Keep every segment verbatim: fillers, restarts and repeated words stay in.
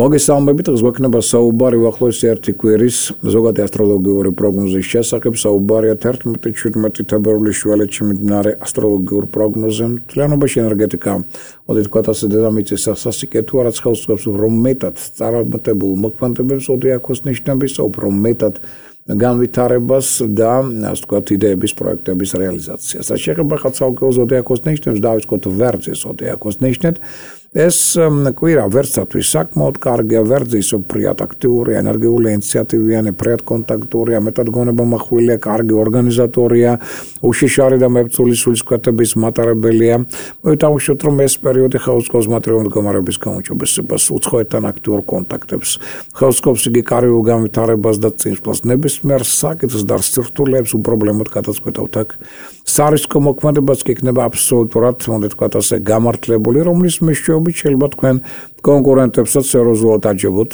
მოგესალმებით, გვექნება საუბარი უახლოესი ერთი კვირის ზოგადი ასტროლოგიური პროგნოზის შესახებ. საუბარია თერთმეტი შვიდმეტი თებერვლის შუალედში მიმდინარე ასტროლოგიურ პროგნოზზე. მთლიანობაში ენერგეტიკა, მოდი თქვათ ასე, დედამიწის სასიკე თუ არაც ხელს უწყობს, რომ მეტად წარმატებულ მოქმედებებს ზოდიაქოს ნიშნების, უფრო მეტად განვითარებას და ასე ვთქვათ, იდეების პროექტების რეალიზაციას. რაც შეეხება ხალხალ ზოდიაქოს ნიშნებს, დავიწყოთ ვერძის ზოდიაქოს ნიშნით. ეს კვირა ვერძისათვის საკმაოდ კარგია, ვერძი ისე ფრიად აქტიურია, ენერგიული, ინიციატივიანი, ფრიად კონტაქტურია, მეტად გონებამახვილია, კარგი ორგანიზატორია, უშიშარი და მებრძოლი სულისკვეთების მატარებელია. მოითამაშოთ, რომ ეს პერიოდი ხელსკობს მატერიალური მდგომარეობის გაუმჯობესებას, უცხოეთთან აქტიურ კონტაქტებს, ხელსკობს იგი კარიერულ განვითარებას და წინსვლას, ნებისმიერ საკითხს და სირთულეებს უპრობლემოდ გადაწყვეტავთ აქ. სარისკო მოქმედებაც კი იქნება აბსოლუტურად, მოდი თქვათ ასე, გამართლებული, რომლის მეშვეობით შეიძლება თქვენ კონკურენტებსაც სერიოზულად აჯებოთ.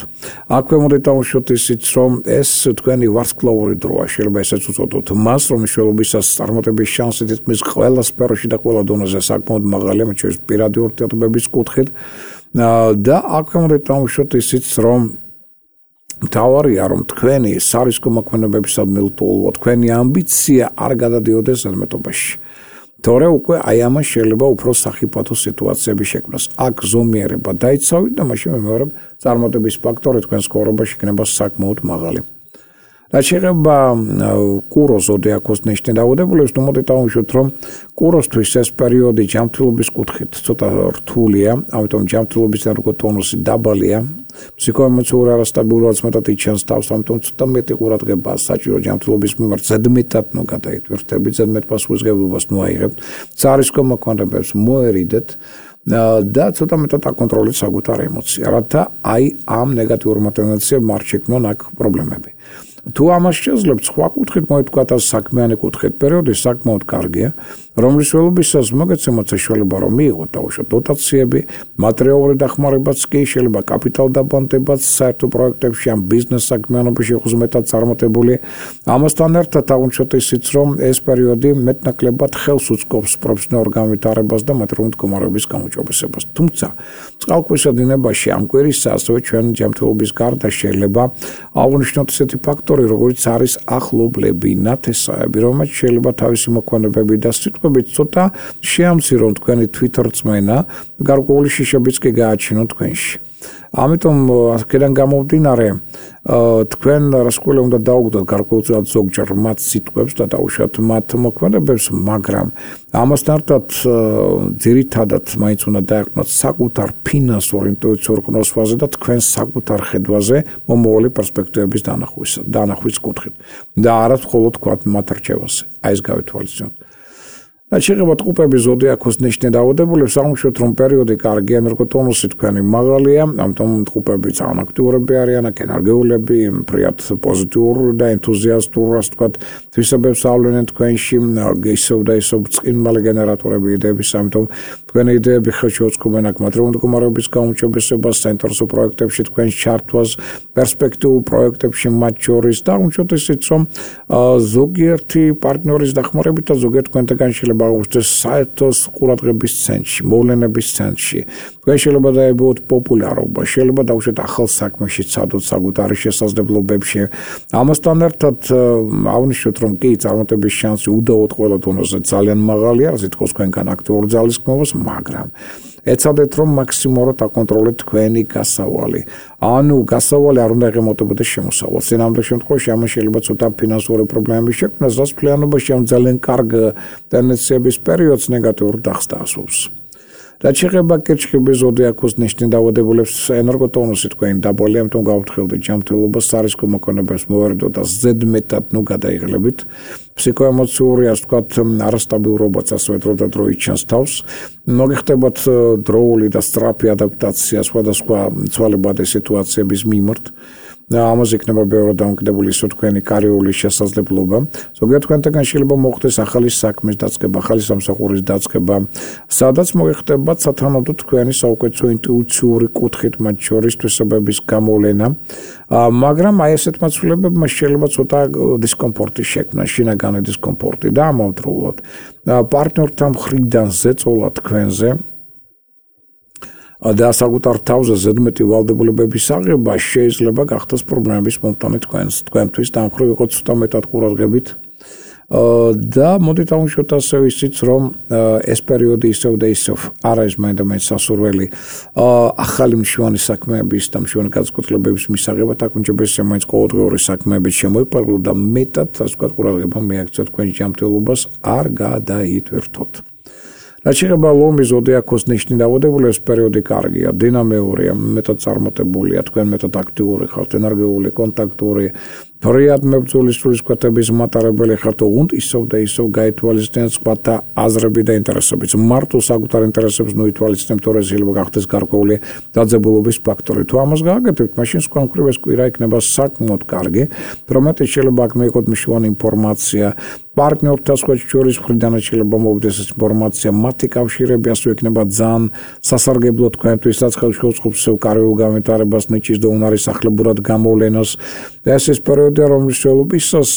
აქვე მოდი დავუშვათ ისიც, რომ ეს თქვენი ვარსკვლავური დროა, შეიძლება ესეც უწოდოთ მას, რომ მნიშვნელობისას წარმატების შანსი თითქმის ყველა სფეროში და ყველა დონეზე საკმაოდ მაღალია, მათ შორის პირადი ურთიერთობების კუთხით. და აქვე მოდი დავუშვათ ისიც, რომ მთავარია, რომ თქვენი სარისკო მოქმედებებისადმი ლტოლვა, თქვენი ამბიცია არ გადადიოდეს ზედმეტობაში. თორე უკვე აი ამას შეიძლება უფრო სახიფათო სიტუაციები შექმნას. აქ ზომიერება დაიცავით და მაშინ მეორე წარმატების ფაქტორი თქვენ ცხოვრებაში იქნება საკმაოდ მაღალი. რაც შეეხება კუროს ზოდიაქოს ნიშნით დაავადებულებს, ნუ მოდით დავუშვათ, რომ კუროსთვის ეს პერიოდი ჯანმრთელობის კუთხით ცოტა რთულია, ამიტომ ჯანმრთელობის ენერგოტონუსი დაბალია. ფსიქოემოციური არასტაბილურობაც მეტად იჩენს თავს, ამიტომ ცოტა მეტი ყურადღება საჭირო ჯანმრთელობის მიმართ, ზედმეტად ნუ გადაიტვირთებით, ზედმეტ პასუხისმგებლობას ნუ აიღებთ, სარისკო მოქმედებებს მოერიდეთ და ცოტა მეტად აკონტროლეთ საკუთარ ემოცია, რათა აი ამ ნეგატიურმა ტენდენციებმა არ შექმნონ აქ პრობლემები. თუ ამას შეძლებთ, სხვა კუთხით მოვთქვათ და საქმიანი კუთხით, პერიოდი საკმაოდ კარგია, რომლის ველობისას მოგეცემოთ საშუალება, რომ მიიღოთ დაუშვათ დოტაციები, მატერიალური დახმარებაც კი, შეიძლება კაპიტალ დაბანდებაც საერთო პროექტებში ან ბიზნეს საქმიანობაში იყოს მეტად წარმატებული. ამასთან ერთად დავუშვათ ისიც, რომ ეს პერიოდი მეტნაკლებად ხელს უწყობს პროფესიონალურ განვითარებას და მატერიალური მდგომარეობის გამოჯობესებას. თუმცა, წყალქვეშა დინებაში ამ კვირისა ასევე ჩვენ ჯანმრთელობის გარდა შეიძლება აღვნიშნოთ ისეთი ფაქტორი, როგორც არის ახლობლები, ნათესაები, რომელიც შეიძლება თავისი მოქმედებები და სიტყვებით ცოტა შეამცირონ თქვენი თვითრწმენა, გარკვეული შიშებიც კი გააჩინონ თქვენში. ამიტომ აქედან გამომდინარე, თქვენ რასკვლელი უნდა დაუგდოთ გარკვეულწილად ზოგჯერ მათ სიტყვებს და დაუშვათ მათ მოქმედებებს, მაგრამ ამასთან ერთად ძირითადად მაინც უნდა დაეყრდნოთ საკუთარ ფინანსურ ინტუიციურ ყნოსვაზე და თქვენ საკუთარ ხედვაზე მომავალი პერსპექტივების დანახვის კუთხით და არა მხოლოდ თქვათ მათ რჩევაზე. აი ეს გავითვალისწინოთ. რაც შეეხება ტყუპების ზოდიაქოს ნიშნით დაავადებულებს, აღმოჩნდეთ, რომ პერიოდი კარგი, ენერგოტონუსი თქვენი მაღალია, ამიტომ ტყუპები ძალიან აქტიურები არიან, აქ ენერგიულები, ფრიად პოზიტიური და ენთუზიასტური, ასე ვთქვათ, თვისებებს ავლენენ თქვენში, ისევ და ისევ წყინმალი გენერატორები იდეების, ამიტომ თქვენი იდეები ხელში უწყობენ აქ მატერიალური მდგომარეობის გაუმჯობესებას, საინტერესო პროექტებში თქვენ ჩართვას, პერსპექტიულ პროექტებში მათ შორის და აღმოჩნდეთ ისიც, რომ ზოგიერთი პარტნიორის დახმარებით და ზოგიერთ თქვენთაგან შეიძლება აღუჩნდეს საერთოს ყურადღების ცენტრში, მოვლენების ცენტრში. თქვენ შეიძლება დაებუოთ პოპულარობა, შეიძლება დავუშვათ ახალ საქმეში ცადოთ საკუთარი შესაძლებლობებში. ამასთან ერთად აღნიშნოთ, რომ კი წარმატების შანსი უდავოდ ყველა დონეზე ძალიან მაღალია, რაც ითხოვს თქვენგან აქტიური ძალისხმევას, მაგრამ ეცადეთ, რომ მაქსიმალურად აკონტროლეთ თქვენი გასავალი. ანუ გასავალი არ უნდა ეღემოდებოდეს შემოსავალს. წინამორბედ შემთხვევაში ამას შეიძლება ცოტა ფინანსური პრობლემები შექმნას, რაც მთლიანობაში ამ ძალიან კარგ ტენდენციების პერიოდს ნეგატიურ დახს დაასვავს. რაც შეეხება კირჩხიბის ზოდიაქოს ნიშნით დაავადებულებს, ენერგოტონუსი თქვენი დაბალია, ამიტომ გავუთხილდით ჯანმრთელობას, სარისკო მოქმედებებს მოვერიდოთ და ზედმეტად ნუ გადაიღლებით. ფსიქოემოციური, ასე ვთქვათ, არასტაბილურობაც ასევე დრო და დრო იჩენს თავს. მოგიხდებათ დროული და სწრაფი ადაპტაცია სხვადასხვა ცვალებადი სიტუაციების მიმართ. ამაზე იქნება ბევრად დამოკიდებული ისო თქვენი კარიერული შესაძლებლობა. ზოგიერთ თქვენთაგან შეიძლება მოხდეს ახალი საქმის დაწყება, ახალი სამსახურის დაწყება, სადაც მოიხდებათ სათანადო თქვენი საუკეთესო ინტუიციური კუთხით მათ შორის თვისებების გამოვლენა. მაგრამ აი ესეთ მაცვლებებმა შეიძლება ცოტა დისკომფორტი შექმნა, შინაგანი დისკომფორტი და ამავდროულად პარტნიორთან მხრიდან ზეწოლა თქვენზე და საკუთარ თავზე ზედმეტი ვალდებულებების აღება შეიძლება გახდეს პრობლემების მომტანი თქვენს თქვენთვის და ამ მხრივ იყო ცოტა მეტად ყურადღებით და მოდით აღვნიშნოთ ასევე ისიც რომ ეს პერიოდი ისევ და ისევ არ არის მაინდამაინც სასურველი ახალი მშვენი საქმეების და მშვენი განწყობილების მისაღებად აქ უმჯობესია მაინც ყოველდღიური საქმეებით შემოიყვანოთ და მეტად ასე ვთქვათ ყურადღება მიაქცევთ თქვენ ჯანმრთელობას არ გადაითვირთოთ. რაც შეეხება ლომის ზოდიაქოს ნიშნით დაავადებულებს პერიოდი კარგია, დინამიურია, მეტად წარმატებულია, თქვენ მეტად აქტიური ხართ, ენერგიული, კონტაქტური, ფრიად მებრძოლი სულისკვეთების მატარებელი ხართ, უნდა ისევ და ისევ გაითვალისწინეთ სხვათა აზრები და ინტერესებიც. მარტო საკუთარ ინტერესებს ნოითვალისწინებთ, თორე შეიძლება გახდეს გარკვეული დაძაბულობის ფაქტორი. თუ ამას გააკეთებთ, მაშინ სხვა მხრივ ეს კვირა იქნება საკმაოდ კარგი, რომელთაც შეიძლება აქ მიიღოთ მნიშვნელოვანი ინფორმაცია. პარტნიორთან შორის მხრიდანაც შეიძლება მოვიდეს ეს ინფორმაცია, მათი კავშირები ასე იქნება ძალიან სასარგებლო თქვენთვის, რაც ხელს შეუწყობს კარგულ განვითარებას, ნიჭის და უნარის ახლებურად გამოვლენას. და ეს ის პერიოდია, რომლის შეულობისას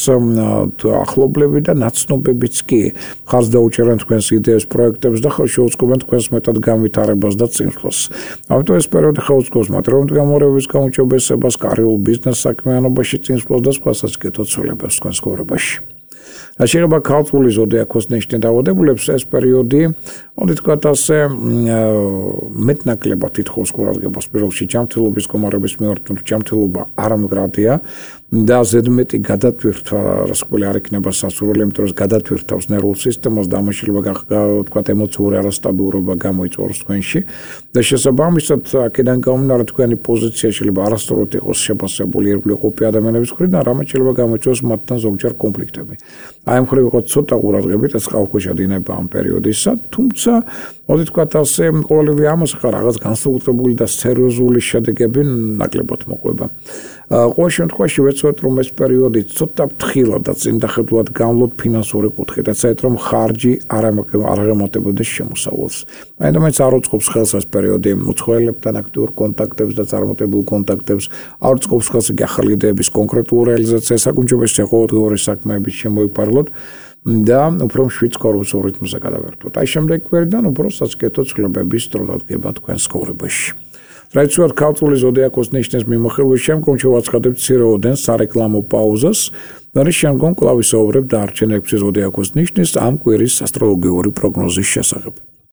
ახლობლები და ნაცნობებიც კი ხარს დაუჭერენ თქვენს იდეებს, პროექტებს და ხელს შეუწყობენ თქვენს მეტად განვითარებას და წინსვლას. ამიტომ ეს პერიოდი ხელუწყობს მათ რომთ გამორევების გაუმჯობესებას, კარგულ ბიზნეს საქმიანობაში წინსვლას და სხვა სასკეთო ცვლილებებს თქვენს ცხოვრებაში. რაც შეეხება ქალწულის ზოდიაქოს ნიშნით დაავადებულებს, ეს პერიოდი, მოდით ვთქვათ ასე, მეტნაკლებად ითხოვს ყურადღებას პირველ რიგში ჯანმრთელობის მდგომარეობის მიმართ, ჯანმრთელობა არამდგრადია და ზედმეტი გადატვირთვა რასკველი არ იქნება სასურველი, იმიტომ რომ გადატვირთავს ნერვულ სისტემას და ამას შეიძლება ვთქვათ ემოციური არასტაბილურობა გამოიწვევს თქვენში და შესაბამისად აქედან გამომდინარე თქვენი პოზიცია შეიძლება არასწორად იყოს შეფასებული ირგვლივ ყოფი ადამიანების მხრიდან, რამაც შეიძლება გამოიწვევს მათთან ზოგჯერ კონფლიქტები. აი ამ მხრივ იყო ცოტა ყურადღებით ეს ყალქვეშა დინება ამ პერიოდისა, თუმცა მოდით ვთქვათ ასე, ყოველივე ამას ხარ რაღაც განსაკუთრებული და სერიოზული შედეგები ნაკლებად მოყვება. ყოველ შემთხვევაში ვეცდოთ რომ ეს პერიოდი ცოტა ფრთხილად და წინდახედულად გამლოთ ფინანსური კუთხით, ეცადეთ რომ ხარჯი არ აღემატებოდეს შემოსავალს. მაინდამაინც არ უწყობს ხელს ეს პერიოდი უცხოელებთან აქტიურ კონტაქტებს და წარმატებულ კონტაქტებს, არ უწყობს ხელს იგი ახალი იდეების კონკრეტულ რეალიზაციას, საკუთრებისა ყოველდღიური საქმეების შემოიფარლოთ და უფრო მშვიდ კორპუსულ რიტმზე გადავერთოთ. აი შემდეგ კვირიდან უფრო სასკეთო ცვლილებების დრო დადგება თქვენს ცხოვრებაში. რაც ვარ ქალწულის ზოდიაქოს ნიშნის მიმოხილვის შემდგომ შევაცხადებთ მცირეოდენ სარეკლამო პაუზას და რის შემდგომ კვლავ ვისაუბრებთ დარჩენილ ექვსი ზოდიაქოს ნიშნის ამ კვირის ასტროლოგიური პროგნოზის შესახებ.